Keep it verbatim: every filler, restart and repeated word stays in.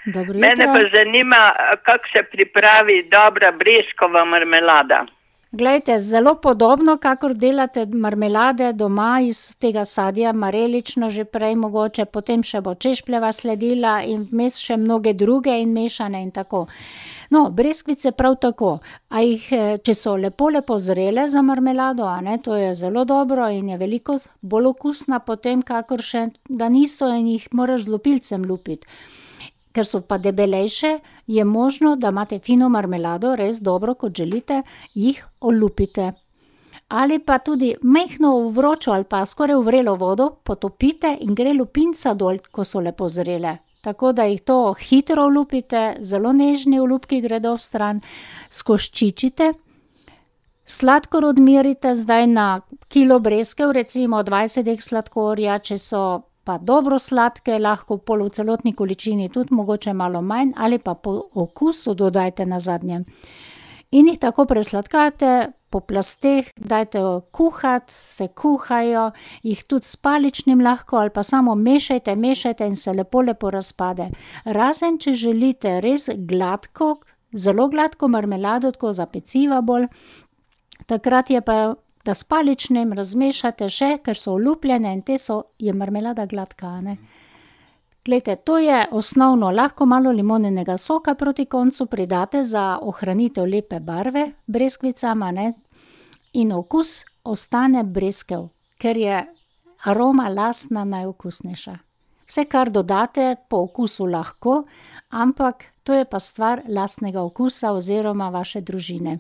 Dobro Mene jutro. pa zanima, kako se pripravi dobra breskova marmelada. Glejte, zelo podobno, kakor delate marmelade doma iz tega sadja, marelično že prej mogoče, potem še bo češpljeva sledila in vmes še mnoge druge in mešane in tako. No, breskvice prav tako. A jih, če so lepo, lepo zrele za marmelado, a ne, to je zelo dobro in je veliko bolj okusna potem, kakor še, da niso in jih moraš z lupilcem lupiti. Ker so pa debelejše, je možno, da imate fino marmelado, res dobro, kot želite, jih olupite. Ali pa tudi majhno v vročo ali pa skoraj v vrelo vodo potopite in gre lupinca dol, ko so lepo zrele. Tako da jih to hitro olupite, zelo nežni olupki gredo vstran, skoščičite, sladkor odmerite zdaj na kilo breskev, recimo dvajset dek sladkorja, če so pa dobro sladke, lahko pol v celotni količini, tudi mogoče malo manj, ali pa po okusu dodajte nazadnje. In jih tako presladkate, po plasteh dajte kuhati, se kuhajo, jih tudi s paličnim lahko ali pa samo mešajte, mešajte in se lepo, lepo razpade. Razen če želite res gladko, zelo gladko marmelado, tako za peciva bolj, takrat je pa, da s paličnim razmešate še, ker so olupljene in te so, je marmelada gladka, a ne. Glejte, to je osnovno, lahko malo limoninega soka proti koncu pridate za ohranitev lepe barve breskvicam, a ne, in okus ostane breskev, ker je aroma lastna najokusnejša. Vse, kar dodate, po okusu lahko, ampak to je pa stvar lastnega okusa oziroma vaše družine.